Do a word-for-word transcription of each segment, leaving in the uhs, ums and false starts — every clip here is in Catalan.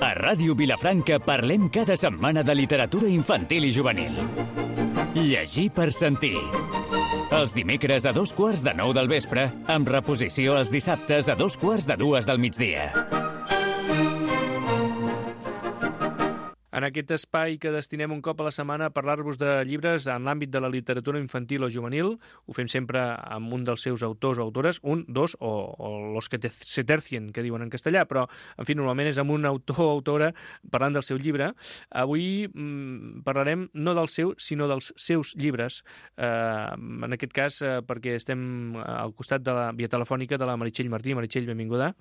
A Ràdio Vilafranca parlem cada setmana de literatura infantil i juvenil. Llegir per sentir. Els dimecres a dos quarts de nou del vespre, amb reposició els dissabtes a dos quarts de dues del migdia. En aquest espai que destinem un cop a la setmana a parlar-vos de llibres en l'àmbit de la literatura infantil o juvenil, ho fem sempre amb un dels seus autors o autores, un, dos o, o los que te, se tercien, que diuen en castellà, però, en fi, normalment és amb un autor o autora parlant del seu llibre. Avui mmm, parlarem no del seu, sinó dels seus llibres. Eh, en aquest cas, eh, perquè estem al costat de la via telefònica de la Meritxell Martí. Meritxell, benvinguda.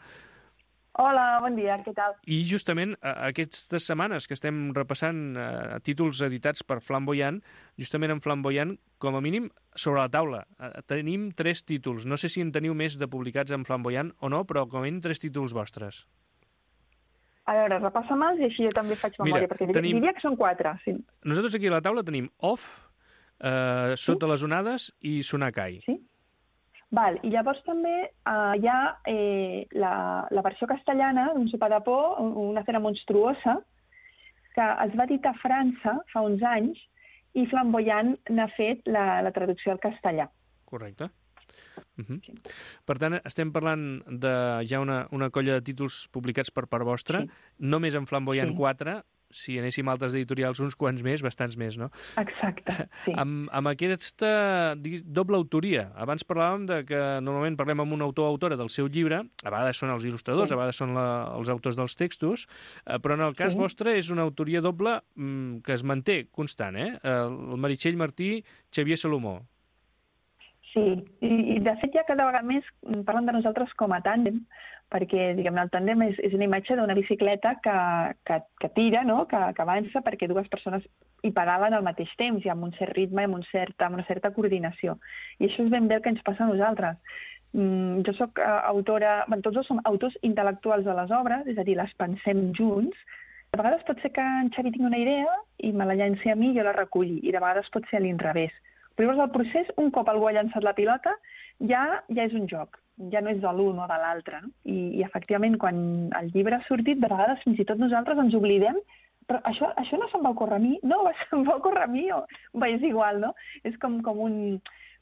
Hola, bon dia, què tal? I justament aquestes setmanes que estem repassant eh, títols editats per Flamboyant, justament en Flamboyant, com a mínim, sobre la taula. Eh, tenim tres títols. No sé si en teniu més de publicats en Flamboyant o no, però com a mínim tres títols vostres. A veure, repassa'm-els i així jo també faig memòria, Mira, perquè tenim... diria que són quatre. Sí. Nosaltres aquí a la taula tenim Off, eh, Sota sí? les onades i Sonakai. Sí. Val, i llavors també uh, hi ha eh, la, la versió castellana d'un Sopar de por, una cena monstruosa, que es va editar a França fa uns anys i Flamboyant n'ha fet la, la traducció al castellà. Correcte. Uh-huh. Sí. Per tant, estem parlant de ja una, una colla de títols publicats per part vostra, sí. Només en Flamboyant sí. quatre, si anéssim a altres editorials, uns quants més, bastants més, no? Exacte, sí. Amb, amb aquesta diguis, doble autoria. Abans parlàvem de que normalment parlem amb un autor o autora del seu llibre, a vegades són els il·lustradors, sí. a vegades són la, els autors dels textos, eh, però en el cas sí. vostre és una autoria doble mm, que es manté constant, eh? El Meritxell Martí, Xavier Salomó. Sí, i, i de fet ja cada vegada més parlen de nosaltres com a tàndem, perquè diguem, el tàndem és, és una imatge d'una bicicleta que, que, que tira, no? que, que avança perquè dues persones hi pedalen al mateix temps i amb un cert ritme i amb, un cert, amb una certa coordinació. I això és ben bé el que ens passa a nosaltres. Mm, jo sóc uh, autora, bueno, tots dos som autors intel·lectuals de les obres, és a dir, les pensem junts. De vegades pot ser que en Xavi tingui una idea i me la llenci a mi i jo la reculli, i de vegades pot ser a l'inrevés. Però llavors el procés, un cop algú ha llançat la pilota, ja, ja és un joc. Ja no és de l'un o de l'altre. No? I, I, efectivament, quan el llibre ha sortit, de vegades fins i tot nosaltres ens oblidem, però això, això no se'm va ocórrer a mi, no, se'm va ocórrer a mi, o va, és igual, no? És com, com, un,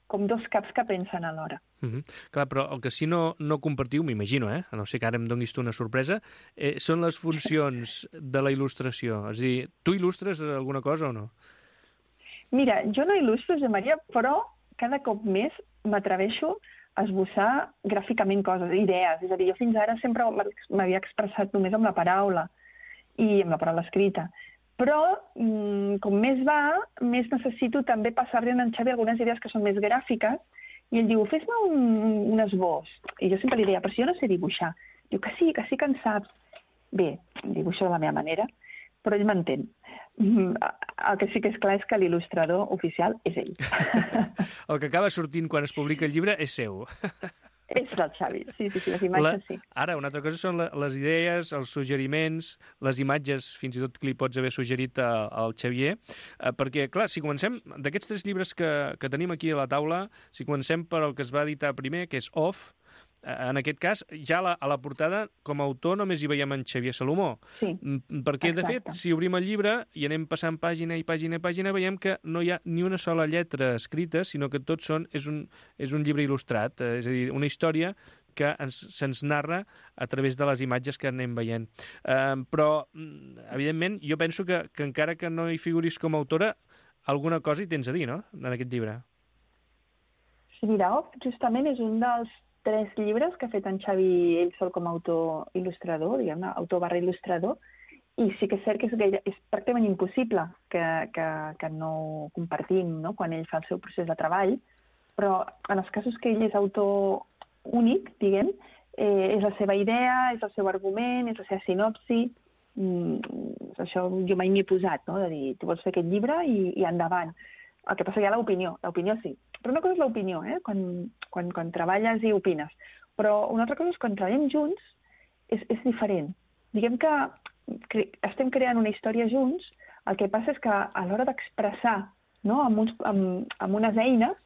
com dos caps que pensen alhora. Uh-huh. Clar, però el que sí no, no compartiu, m'imagino, eh? A no ser que ara em donis tu una sorpresa, eh, són les funcions de la il·lustració. És a dir, tu il·lustres alguna cosa o no? Mira, jo no il·lustro, Josep Maria, però cada cop més m'atreveixo a esbossar gràficament coses, idees. És a dir, jo fins ara sempre m'havia expressat només amb la paraula i amb la paraula escrita. Però, com més va, més necessito també passar-li a en Xavi algunes idees que són més gràfiques i ell diu, fes-me un, un esbós. I jo sempre li deia, però si jo no sé dibuixar. Diu que sí, que sí que en saps. Bé, dibuixo de la meva manera, però ell m'entén. El que sí que és clar és que l'il·lustrador oficial és ell. El que acaba sortint quan es publica el llibre és seu. És del Xavi, sí, sí, sí, les imatges la... sí. Ara, una altra cosa són les idees, els suggeriments, les imatges, fins i tot que li pots haver suggerit al Xavier, eh, perquè, clar, si comencem, d'aquests tres llibres que, que tenim aquí a la taula, si comencem per el que es va editar primer, que és Off, en aquest cas, ja a la, a la portada, com a autor, només hi veiem en Xavier Salomó. Sí, perquè, de fet, si obrim el llibre i anem passant pàgina i pàgina i pàgina, veiem que no hi ha ni una sola lletra escrita, sinó que tot són, és, un, és un llibre il·lustrat, és a dir, una història que ens, se'ns narra a través de les imatges que anem veient. Eh, però, evidentment, jo penso que, que encara que no hi figuris com a autora, alguna cosa hi tens a dir, no?, en aquest llibre. Sí, mira, justament és un dels tres llibres que ha fet en Xavi ell sol com a autor il·lustrador, diguem-ne, autor barra il·lustrador, i sí que és cert que és, gaire, és pràcticament impossible que, que, que no compartim, no?, quan ell fa el seu procés de treball, però en els casos que ell és autor únic, diguem, eh, és la seva idea, és el seu argument, és la seva sinopsi, mm, això jo mai m'hi he posat, no?, de dir, tu vols fer aquest llibre i, i endavant. El que passa que hi ha l'opinió, l'opinió sí. Però una cosa és l'opinió, eh? quan, quan, quan treballes i opines. Però una altra cosa és quan treballem junts és, és diferent. Diguem que cre estem creant una història junts, el que passa és que a l'hora d'expressar, no?, amb, uns, amb, amb unes eines,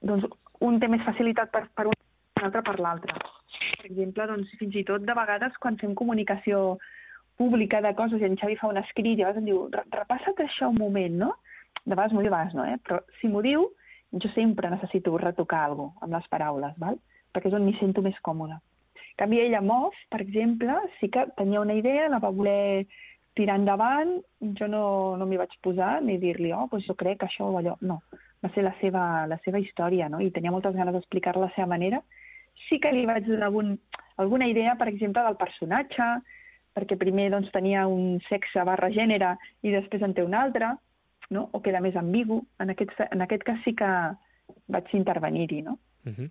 doncs un té més facilitat per, per un i l'altre per l'altre. exemple, doncs, fins i tot de vegades quan fem comunicació pública de coses i en Xavi fa un escrit i a vegades em diu, repassa't això un moment, no? De vegades m'ho diu, de vegades no, eh? Però si m'ho diu, jo sempre necessito retocar alguna cosa amb les paraules, val? Perquè és on m'hi sento més còmoda. En canvi, ella, Mof, per exemple, sí que tenia una idea, la va voler tirar endavant, jo no, no m'hi vaig posar ni dir-li, oh, doncs jo crec que això o allò. No, va ser la seva, la seva història, no? I tenia moltes ganes d'explicar-la a la seva manera. Sí que li vaig donar algun, alguna idea, per exemple, del personatge, perquè primer doncs, tenia un sexe barra gènere i després en té un altre, no? O queda més ambigu. En aquest, en aquest cas sí que vaig intervenir-hi, no? Uh -huh.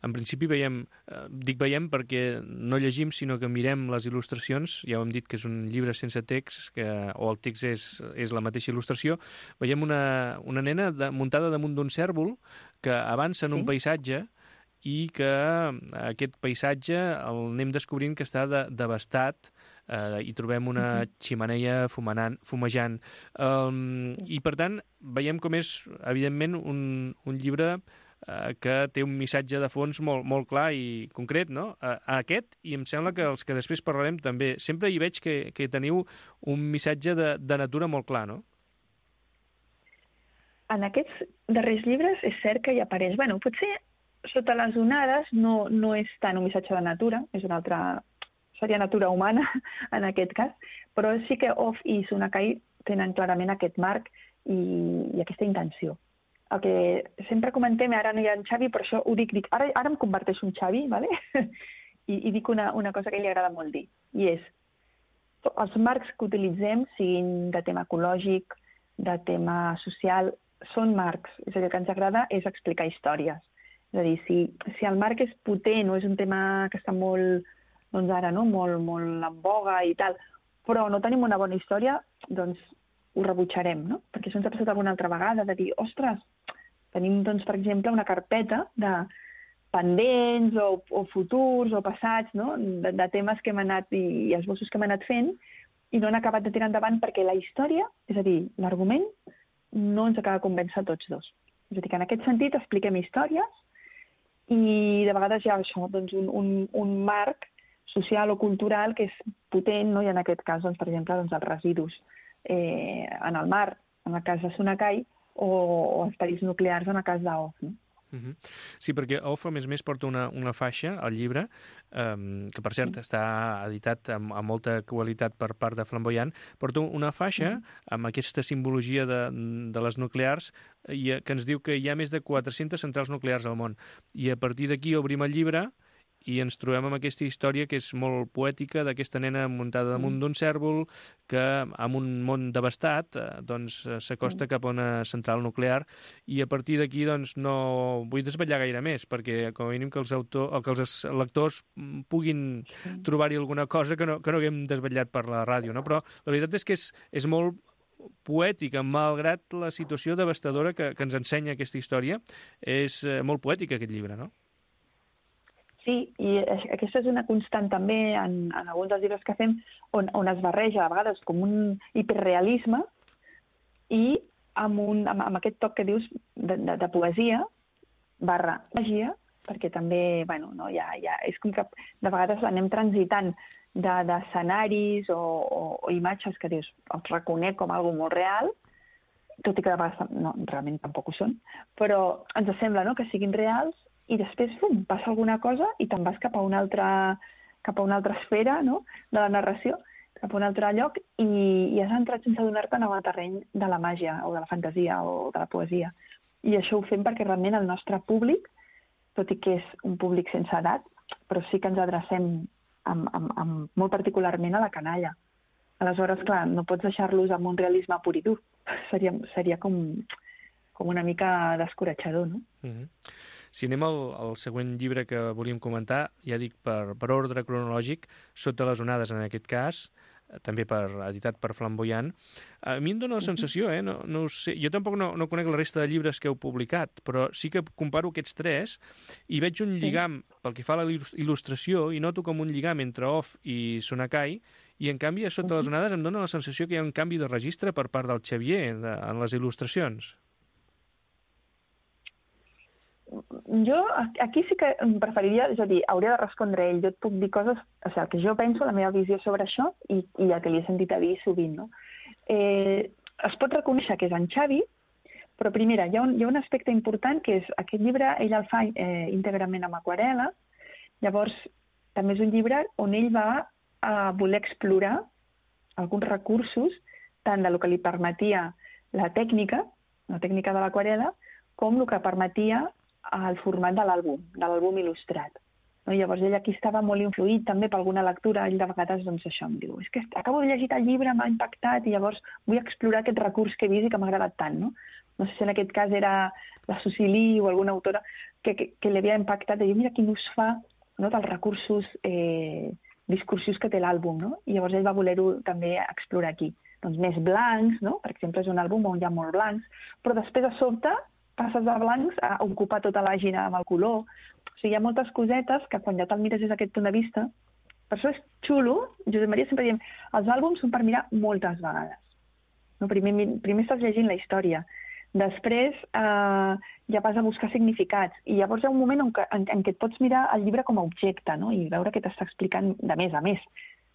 En principi veiem, eh, dic veiem perquè no llegim, sinó que mirem les il·lustracions. Ja ho hem dit que és un llibre sense text, que, o el text és, és la mateixa il·lustració. Veiem una, una nena de, muntada damunt d'un cèrvol que avança en un sí. paisatge i que aquest paisatge el anem descobrint que està de, devastat, eh, i trobem una ximeneia fumanant, fumejant. Um, I, per tant, veiem com és, evidentment, un, un llibre eh, que té un missatge de fons molt, molt clar i concret, no? A, a aquest, i em sembla que els que després parlarem també. Sempre hi veig que, que teniu un missatge de, de natura molt clar, no? En aquests darrers llibres és cert que hi apareix, bueno, potser sota les onades no, no és tant un missatge de natura, és una altra, seria natura humana en aquest cas, però sí que Off i Sunakai tenen clarament aquest marc i, i aquesta intenció. El que sempre comentem, ara no hi ha en Xavi, però això ho dic, dic ara, ara em converteixo en Xavi, ¿vale? I, i dic una, una cosa que li agrada molt dir, i és, els marcs que utilitzem, siguin de tema ecològic, de tema social, són marcs, és a dir, el que ens agrada és explicar històries. És a dir, si, si el marc és potent o és un tema que està molt, doncs ara, no? molt, molt en boga i tal, però no tenim una bona història, doncs ho rebutjarem, no? Perquè això ens ha passat alguna altra vegada, de dir, ostres, tenim, doncs, per exemple, una carpeta de pendents o, o futurs o passats, no? de, de temes que hem anat i, i esbossos que hem anat fent i no han acabat de tirar endavant perquè la història, és a dir, l'argument, no ens acaba de convèncer a tots dos. És a dir, que en aquest sentit expliquem històries i de vegades hi ha això, doncs, un, un, un marc social o cultural que és potent, no? I en aquest cas, doncs, per exemple, doncs, els residus eh, en el mar, en el cas de Sunakai, o, o els perills nuclears en el cas d'Off, no? Uh -huh. Sí, perquè Off, a més a més, porta una, una faixa al llibre, um, que per cert està editat amb, amb molta qualitat per part de Flamboyant, porta una faixa uh -huh. amb aquesta simbologia de, de les nuclears i, que ens diu que hi ha més de quatre-centes centrals nuclears al món. I a partir d'aquí obrim el llibre i ens trobem amb aquesta història que és molt poètica d'aquesta nena muntada damunt d'un cèrvol que, amb un món devastat, eh, doncs s'acosta cap a una central nuclear i a partir d'aquí doncs no vull desvetllar gaire més perquè com a mínim que els, autor, que els lectors puguin trobar-hi alguna cosa que no, que no haguem desvetllat per la ràdio, no? Però la veritat és que és, és molt poètica, malgrat la situació devastadora que, que ens ensenya aquesta història. És eh, molt poètica aquest llibre, no? Sí, i aquesta és una constant també en, en alguns dels llibres que fem on, on es barreja a vegades com un hiperrealisme i amb, un, amb, amb aquest toc que dius de, de, de poesia barra màgia, perquè també, bueno, no, ja, ja, és com que de vegades anem transitant d'escenaris de, o, o, o imatges que dius, els reconec com algo molt real, tot i que de vegades no, realment tampoc ho són, però ens sembla, no?, que siguin reals i després fum, passa alguna cosa i te'n vas cap a una altra, cap a una altra esfera, no?, de la narració, cap a un altre lloc i, i has entrat sense adonar-te en el terreny de la màgia o de la fantasia o de la poesia. I això ho fem perquè realment el nostre públic, tot i que és un públic sense edat, però sí que ens adrecem amb, amb, amb, molt particularment a la canalla. Aleshores, clar, no pots deixar-los amb un realisme pur i dur. Seria, seria com, com una mica descoratjador, no? Mm-hmm. Si anem al, al següent llibre que volíem comentar, ja dic per, per ordre cronològic, Sota les onades en aquest cas, també per, editat per Flamboyant. A mi em dóna la sensació, eh? no, no ho sé, jo tampoc no, no conec la resta de llibres que heu publicat, però sí que comparo aquests tres i veig un lligam pel que fa a la il·lustració i noto com un lligam entre Off i Sunakai i en canvi a Sota les onades em dóna la sensació que hi ha un canvi de registre per part del Xavier de, en les il·lustracions. jo aquí sí que em preferiria, és a dir, hauria de respondre ell. Jo et puc dir coses, o sigui, el que jo penso, la meva visió sobre això i, i el que li he sentit a dir sovint, no? Eh, es pot reconèixer que és en Xavi, però primera, hi ha un, hi ha un aspecte important que és aquest llibre, ell el fa eh, íntegrament amb aquarel·la, llavors també és un llibre on ell va a voler explorar alguns recursos, tant del que li permetia la tècnica, la tècnica de l'aquarel·la, com el que permetia el format de l'àlbum, de l'àlbum il·lustrat. No? Llavors ell aquí estava molt influït també per alguna lectura, ell de vegades doncs això em diu, és que acabo de llegir el llibre, m'ha impactat i llavors vull explorar aquest recurs que he vist i que m'ha agradat tant, no? No sé si en aquest cas era la Susilí o alguna autora que, que, que li havia impactat, de dir, mira quin ús fa, no, dels recursos eh, discursius que té l'àlbum, no? I llavors ell va voler-ho també explorar aquí. Doncs més blancs, no? Per exemple, és un àlbum on hi ha molt blancs, però després a sobte passes de blancs a ocupar tota la pàgina amb el color. O sigui, hi ha moltes cosetes que quan ja te'l mires des d'aquest punt de vista, per això és xulo, Josep Maria sempre diem, els àlbums són per mirar moltes vegades. No? Primer, primer estàs llegint la història, després eh, ja vas a buscar significats i llavors hi ha un moment en què, en, en què et pots mirar el llibre com a objecte, no? I veure què t'està explicant de més a més.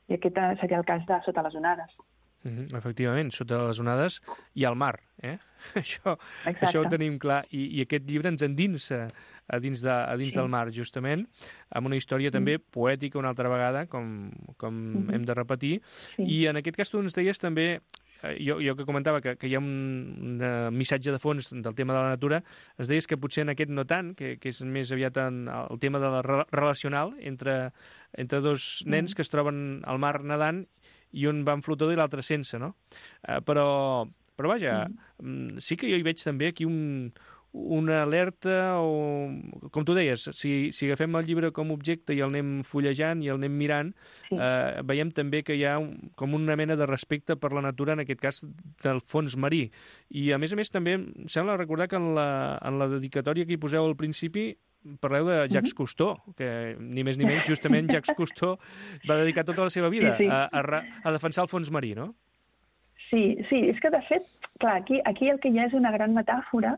I aquest seria el cas de Sota les onades. Mm-hmm, efectivament, Sota les onades i al mar. Eh? Això, això ho tenim clar. I, i aquest llibre ens endinsa a dins, de, a dins sí. del mar, justament, amb una història també mm. poètica una altra vegada, com, com mm-hmm. hem de repetir. Sí. I en aquest cas tu ens deies també, jo, jo que comentava que, que hi ha un, un missatge de fons del tema de la natura, ens deies que potser en aquest no tant, que, que és més aviat en el tema de la re relacional entre, entre dos nens mm. que es troben al mar nedant i un va en flotador i l'altre sense, no? Uh, però, però vaja, mm. sí que jo hi veig també aquí un, una alerta o, com tu deies, si, si agafem el llibre com a objecte i el anem fullejant i el anem mirant, sí. eh, veiem també que hi ha un, com una mena de respecte per la natura, en aquest cas del fons marí. I a més a més també em sembla recordar que en la, en la dedicatòria que hi poseu al principi parleu de Jacques uh-huh. Cousteau, que ni més ni menys, justament Jacques Cousteau va dedicar tota la seva vida sí, sí. A, a, a defensar el fons marí, no? Sí, sí, és que de fet, clar, aquí, aquí el que hi ha és una gran metàfora.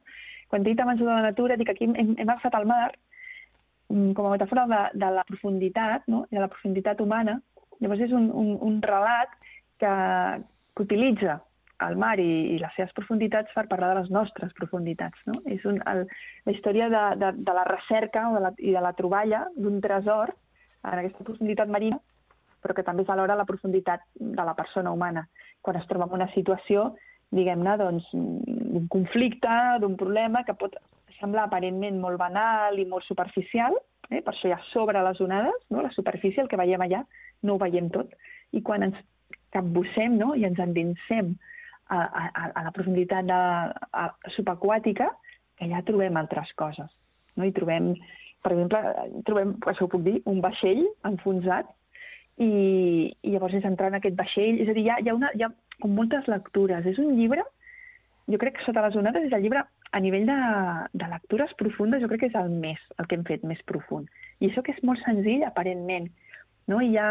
Quan he dit abans de la natura, dic aquí hem, hem agafat el mar com a metàfora de, de la profunditat, no? De la profunditat humana. Llavors és un, un, un relat que, que utilitza el mar i, i les seves profunditats per parlar de les nostres profunditats. No? És un, el, la història de, de, de la recerca o de la, i de la troballa d'un tresor en aquesta profunditat marina, però que també és alhora la profunditat de la persona humana. Quan es troba en una situació, diguem-ne, doncs, d'un conflicte, d'un problema que pot semblar aparentment molt banal i molt superficial, eh? Per això hi ha sobre les onades, no? La superfície, el que veiem allà, no ho veiem tot. I quan ens capbussem, no? I ens endinsem a, a, a la profunditat de, a, subaquàtica, que allà trobem altres coses. No? I trobem, per exemple, trobem, això ho puc dir, un vaixell enfonsat, i, i llavors és entrar en aquest vaixell. És a dir, hi ha, hi ha, una, hi ha com moltes lectures. És un llibre, jo crec que Sota les onades és el llibre a nivell de, de lectures profundes, jo crec que és el més, el que hem fet més profund. I això que és molt senzill, aparentment. No? I ja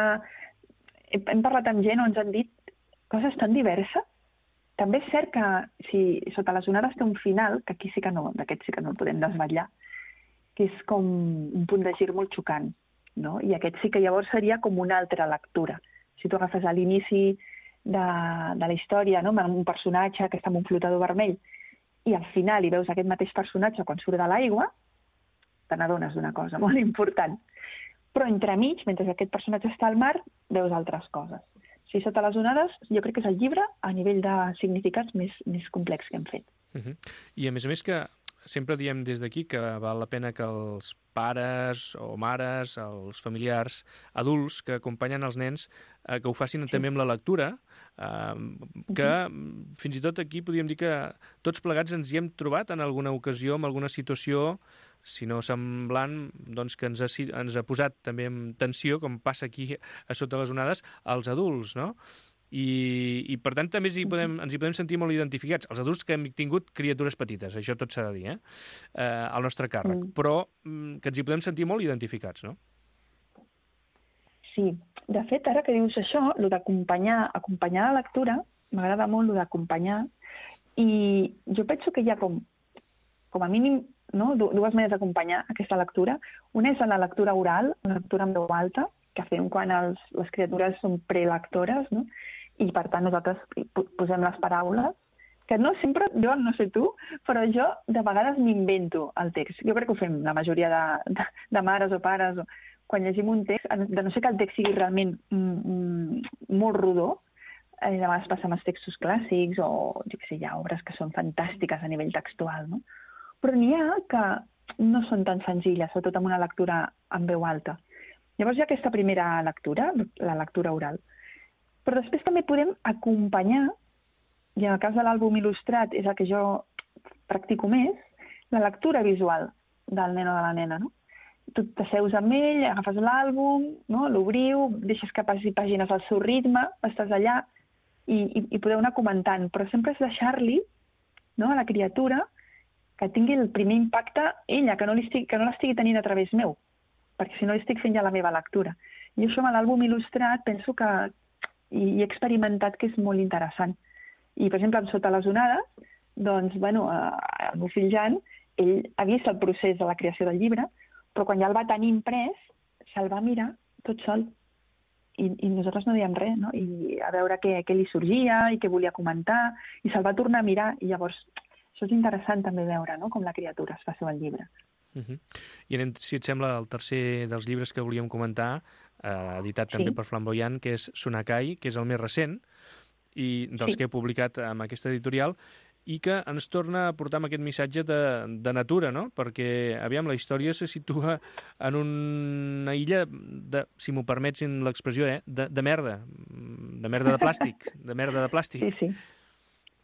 hem parlat amb gent on ens han dit coses tan diverses. També és cert que si Sota les onades té un final, que aquí sí que no, d'aquest sí que no el podem desvetllar, que és com un punt de gir molt xocant. No? I aquest sí que llavors seria com una altra lectura. Si tu agafes a l'inici de, de la història, no? Amb un personatge que està en un flotador vermell, i al final hi veus aquest mateix personatge quan surt de l'aigua, te n'adones d'una cosa molt important. Però entremig, mentre aquest personatge està al mar, veus altres coses. Si Sota les onades, jo crec que és el llibre a nivell de significats més, més complex que hem fet. Uh-huh. I a més a més que sempre diem des d'aquí que val la pena que els pares o mares, els familiars adults que acompanyen els nens, eh, que ho facin sí. també amb la lectura, eh, que uh-huh. fins i tot aquí podríem dir que tots plegats ens hi hem trobat en alguna ocasió, en alguna situació, si no semblant, doncs que ens ha, ens ha posat també en tensió, com passa aquí a Sota les onades, als adults, no? I, i per tant també hi podem, ens hi podem sentir molt identificats, els adults que hem tingut criatures petites, això tot s'ha de dir, eh? Eh, al nostre càrrec, mm. però que ens hi podem sentir molt identificats, no? Sí, de fet, ara que dius això, el d'acompanyar acompanyar la lectura, m'agrada molt el d'acompanyar, i jo penso que hi ha com, com a mínim no? dues maneres d'acompanyar aquesta lectura. Una és la lectura oral, la lectura en veu alta, que fem quan els, les criatures són prelectores, no? I per tant nosaltres posem les paraules, que no sempre, jo no sé tu, però jo de vegades m'invento el text. Jo crec que ho fem la majoria de, de, de mares o pares, o, quan llegim un text, de no ser que el text sigui realment mm, mm, molt rodó, eh, de vegades passa amb els textos clàssics o jo què sé, hi ha obres que són fantàstiques a nivell textual, no? Però n'hi ha que no són tan senzilles, sobretot amb una lectura en veu alta. Llavors hi ha aquesta primera lectura, la lectura oral. Però després també podem acompanyar, i en el cas de l'àlbum il·lustrat és el que jo practico més, la lectura visual del nen o de la nena, no? Tu t'asseus amb ell, agafes l'àlbum, no? L'obriu, deixes que passi pàgines al seu ritme, estàs allà i, i, i podeu anar comentant, però sempre és deixar-li, no, a la criatura que tingui el primer impacte ella, que no l'estigui que no l'estigui tenint a través meu, perquè si no estic fent ja la meva lectura. I això amb l'àlbum il·lustrat penso que i he experimentat que és molt interessant. I, per exemple, amb Sota les onades, doncs, bueno, el meu fill Jan, ell ha vist el procés de la creació del llibre, però quan ja el va tenir imprès, se'l va mirar tot sol. I, i nosaltres no dèiem res, no? I a veure què, què li sorgia i què volia comentar, i se'l va tornar a mirar. I llavors, això és interessant també veure, no?, com la criatura es fa seu el llibre. Uh-huh. I anem, si et sembla, el tercer dels llibres que volíem comentar, eh, editat també sí. per Flamboyant, que és Sonakai, que és el més recent, i dels sí. que he publicat amb aquesta editorial, i que ens torna a portar amb aquest missatge de, de natura, no? Perquè, aviam, la història se situa en una illa, de, si m'ho permetsin l'expressió, eh? de, de merda, de merda de plàstic, de merda de plàstic. Sí, sí,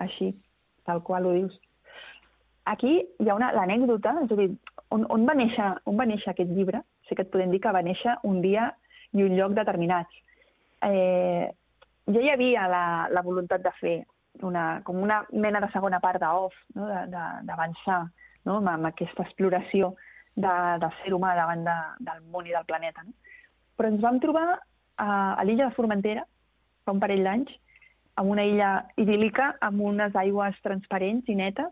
així, tal qual ho dius. Aquí hi ha una l'anècdota, és a dir, on, on, va néixer, on va néixer aquest llibre? Sí que et podem dir que va néixer un dia i un lloc determinats. Eh, ja hi havia la, la voluntat de fer una, com una mena de segona part d'Off, no? d'avançar, no? amb aquesta exploració de, del ser humà davant de, del món i del planeta. No? Però ens vam trobar a, a l'illa de Formentera, fa un parell d'anys, en una illa idíl·lica, amb unes aigües transparents i netes,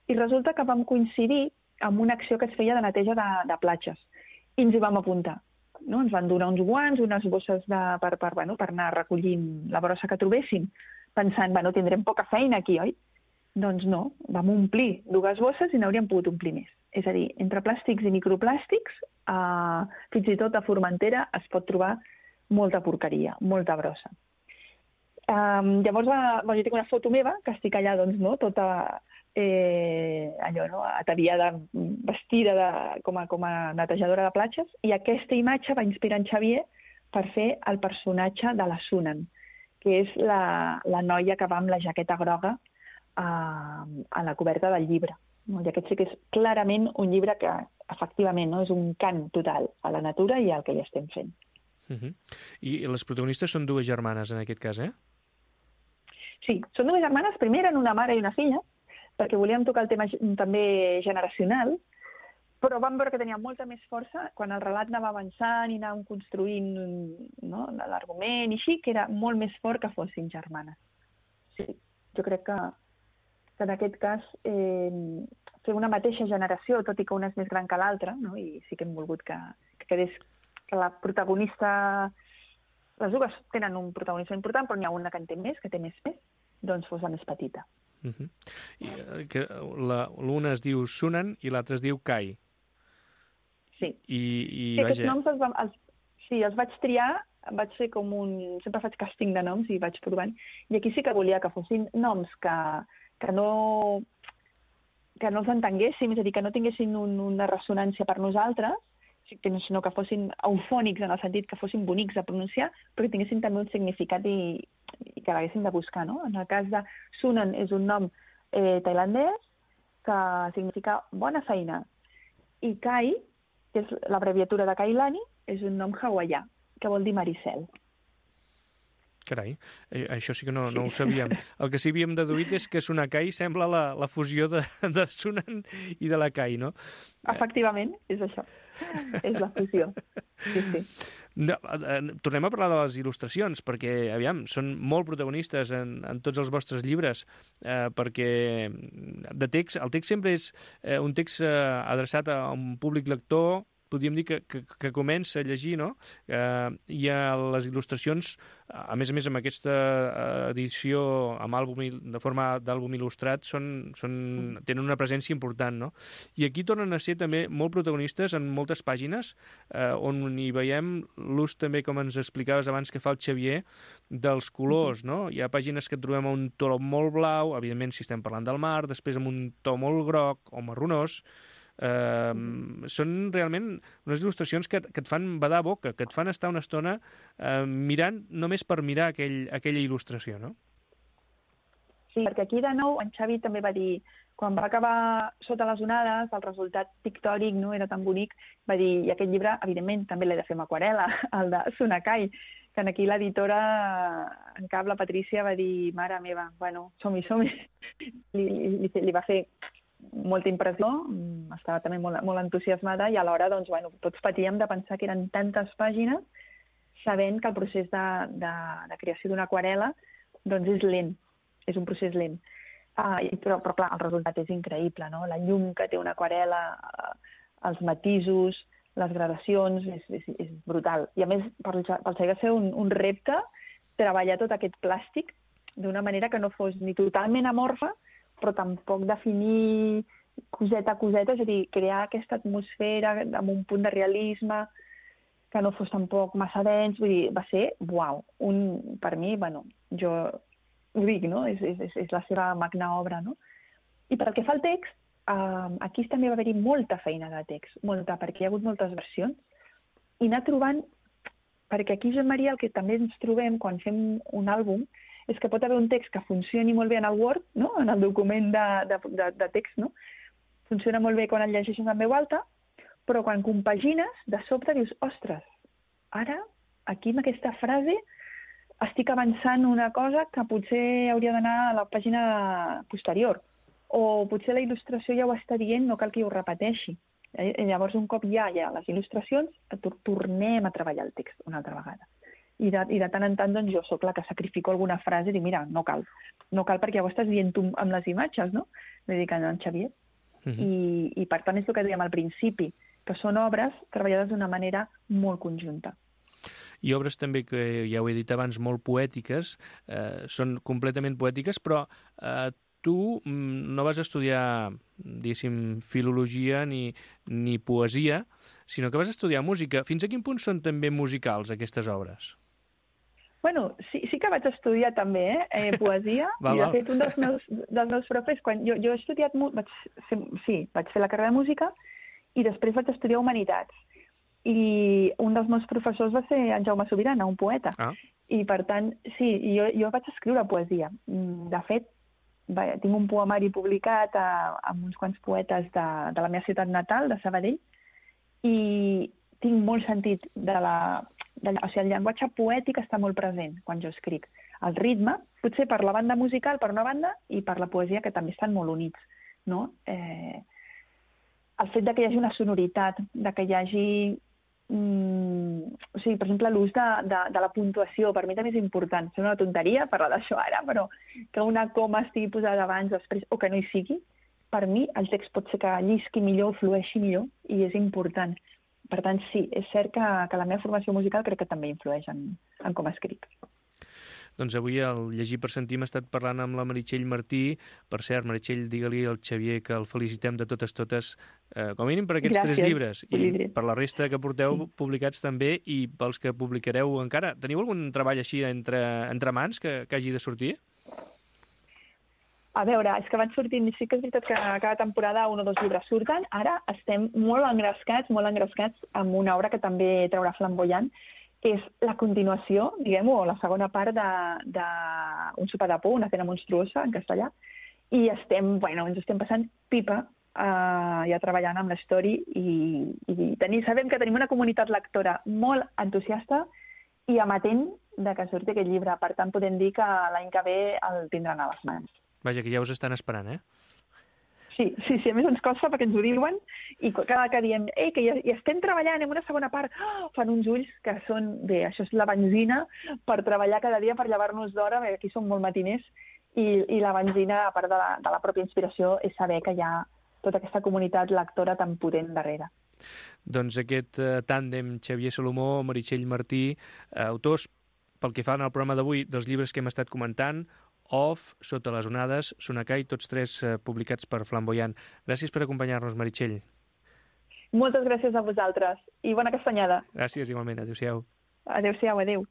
i resulta que vam coincidir amb una acció que es feia de neteja de, de platges. I ens hi vam apuntar. No? Ens van donar uns guants, unes bosses de, per, per, bueno, per anar recollint la brossa que trobéssim, pensant, bueno, tindrem poca feina aquí, oi? Doncs no, vam omplir dues bosses i n'hauríem pogut omplir més. És a dir, entre plàstics i microplàstics, eh, fins i tot a Formentera es pot trobar molta porqueria, molta brossa. Um, llavors, va, bueno, jo tinc una foto meva, que estic allà, doncs, no?, tota eh, allò, no?, ataviada, vestida de, com, a, com a netejadora de platges, i aquesta imatge va inspirar en Xavier per fer el personatge de la Sunan, que és la, la noia que va amb la jaqueta groga a, a la coberta del llibre. No? I aquest sí que és clarament un llibre que, efectivament, no? és un cant total a la natura i al que hi estem fent. Uh-huh. I les protagonistes són dues germanes, en aquest cas, eh? Sí, són dues germanes. Primer eren una mare i una filla, perquè volíem tocar el tema també generacional, però vam veure que tenia molta més força quan el relat anava avançant i anàvem construint, no?, l'argument i així, que era molt més fort que fossin germanes. Sí, jo crec que, que en aquest cas eh, fer una mateixa generació, tot i que una és més gran que l'altra, no?, i sí que hem volgut que, que quedés que la protagonista, les dues tenen un protagonista important, però n'hi ha una que en té més, que té més pes, doncs fos la més petita. Uh-huh. I, que l'una es diu Sunan i l'altra es diu Kai. Sí. I, i sí, aquests noms els, els, sí, els vaig triar, vaig fer com un... Sempre faig càsting de noms i vaig provant. I aquí sí que volia que fossin noms que, que no que no els entenguéssim, és a dir, que no tinguessin un, una ressonància per nosaltres, sinó que fossin eufònics en el sentit que fossin bonics a pronunciar, però que tinguessin també un significat i, i que l'haguessin de buscar, no? En el cas de Sunan és un nom eh, tailandès que significa bona feina, i Kai, que és l'abreviatura de Kailani, és un nom hawaià, que vol dir Maricel. Carai, eh, això sí que no, no ho sabíem. El que sí havíem deduït és que Sonakai sembla la, la fusió de, de Sunan i de la Kai, no? Efectivament, és això. És la fusió. Sí, sí. No, eh, tornem a parlar de les il·lustracions, perquè, aviam, són molt protagonistes en, en tots els vostres llibres, eh, perquè de text, el text sempre és eh, un text eh, adreçat a un públic lector, podríem dir que, que, que comença a llegir, no? Eh, I a les il·lustracions, a més a més amb aquesta edició amb àlbum, de forma d'àlbum il·lustrat, són, són, tenen una presència important, no? I aquí tornen a ser també molt protagonistes en moltes pàgines, eh, on hi veiem l'ús també, com ens explicaves abans que fa el Xavier, dels colors, no? Hi ha pàgines que trobem a un to molt blau, evidentment si estem parlant del mar, després amb un to molt groc o marronós. Uh, són realment unes il·lustracions que, que et fan badar boca, que et fan estar una estona uh, mirant, només per mirar aquell, aquella il·lustració, no? Sí, perquè aquí de nou en Xavi també va dir, quan va acabar Sota les onades, el resultat pictòric no era tan bonic, va dir, i aquest llibre, evidentment, també l'he de fer amb aquarel·la, el de Sunakai, que aquí l'editora en cap, la Patrícia, va dir, mare meva, bueno, som-hi, som-hi. Li, li, li va fer molta impressió, estava també molt, molt entusiasmada i alhora doncs, bueno, tots patíem de pensar que eren tantes pàgines sabent que el procés de, de, de creació d'una aquarel·la doncs és lent, és un procés lent. Ah, però, però clar, el resultat és increïble, no? La llum que té una aquarel·la, els matisos, les gradacions, és, és, és brutal. I a més, pel Xavier va ser un, un repte treballar tot aquest plàstic d'una manera que no fos ni totalment amorfa, però tampoc definir coseta a coseta, és a dir, crear aquesta atmosfera amb un punt de realisme que no fos tampoc massa dens, vull dir, va ser, uau, un, per mi, bueno, jo ho dic, no?, és, és, és la seva magna obra, no? I pel que fa al text, eh, aquí també va haver-hi molta feina de text, molta, perquè hi ha hagut moltes versions, i anar trobant, perquè aquí, Joan Maria, el que també ens trobem quan fem un àlbum, és que pot haver un text que funcioni molt bé en el Word, no? En el document de, de, de, de text, no? Funciona molt bé quan el llegeixes en veu alta, però quan compagines, de sobte dius, ostres, ara, aquí amb aquesta frase, estic avançant una cosa que potser hauria d'anar a la pàgina posterior, o potser la il·lustració ja ho està dient, no cal que ho repeteixi. Eh? Llavors, un cop ja hi ha les il·lustracions, tornem a treballar el text una altra vegada. I de, i de tant en tant doncs, jo sóc la que sacrifico alguna frase i dic, mira, no cal, no cal perquè ja ho estàs dient tu amb les imatges, no? Dedicant a en Xavier. Uh-huh. I, I per tant és el que dèiem al principi, que són obres treballades d'una manera molt conjunta. I obres també que ja ho he dit abans, molt poètiques, eh, són completament poètiques, però eh, tu no vas estudiar, diguéssim, filologia ni, ni poesia, sinó que vas estudiar música. Fins a quin punt són també musicals aquestes obres? Bueno, sí, sí que vaig estudiar també, eh, eh poesia, val, i de fet un dels meus, dels meus profes, quan jo, jo he estudiat, vaig fer, sí, vaig fer la carrera de música i després vaig estudiar humanitats. I un dels meus professors va ser en Jaume Sobirana, un poeta. Ah. I per tant, sí, jo, jo vaig escriure poesia. De fet, va, tinc un poemari publicat a, amb uns quants poetes de, de la meva ciutat natal, de Sabadell, i tinc molt sentit de la... De, o sigui, el llenguatge poètic està molt present quan jo escric. El ritme, potser per la banda musical, per una banda, i per la poesia, que també estan molt units, no? Eh, el fet de que hi hagi una sonoritat, de que hi hagi... Mm, o sigui, per exemple, l'ús de, de, de la puntuació, per mi també és important. És una tonteria parlar d'això ara, però que una coma estigui posada abans, després, o que no hi sigui, per mi el text pot ser que llisqui millor, flueixi millor, i és important. Per tant, sí, és cert que, que la meva formació musical crec que també influeix en, en com escric. Doncs avui al Llegir per Sentir hem estat parlant amb la Meritxell Martí. Per cert, Meritxell, digue-li al Xavier que el felicitem de totes totes, eh, com a mínim per aquests Gràcies. tres llibres, i per la resta que porteu sí. publicats també, i pels que publicareu encara. Teniu algun treball així entre, entre mans que, que hagi de sortir? A veure, és que van sortint, sí que és veritat que cada temporada un o dos llibres surten. Ara estem molt engrescats, molt engrescats amb una obra que també traurà Flamboyant, que és la continuació, diguem-ho, o la segona part d'un de, de Un sopar de por, una cena monstruosa, en castellà, i estem, bueno, ens estem passant pipa uh, ja treballant amb l'història i, i tenir, sabem que tenim una comunitat lectora molt entusiasta i amatent de que surti aquest llibre. Per tant, podem dir que l'any que ve el tindran a les mans. Vaja, que ja us estan esperant, eh? Sí, sí, sí, a més ens costa perquè ens ho diuen i cada que diem, ei, que ja, ja estem treballant en una segona part, oh, fan uns ulls que són, bé, això és la benzina per treballar cada dia, per llevar-nos d'hora, perquè aquí som molt matiners, i, i la benzina, a part de la, de la pròpia inspiració, és saber que hi ha tota aquesta comunitat lectora tan potent darrere. Doncs aquest eh, tàndem Xavier Salomó, Meritxell Martí, eh, autors, pel que fa al programa d'avui, dels llibres que hem estat comentant, Off, Sota les onades, Sonakai, tots tres eh, publicats per Flamboyant. Gràcies per acompanyar-nos, Meritxell. Moltes gràcies a vosaltres i bona castanyada. Gràcies, igualment. Adéu-siau. Adéu-siau, adéu.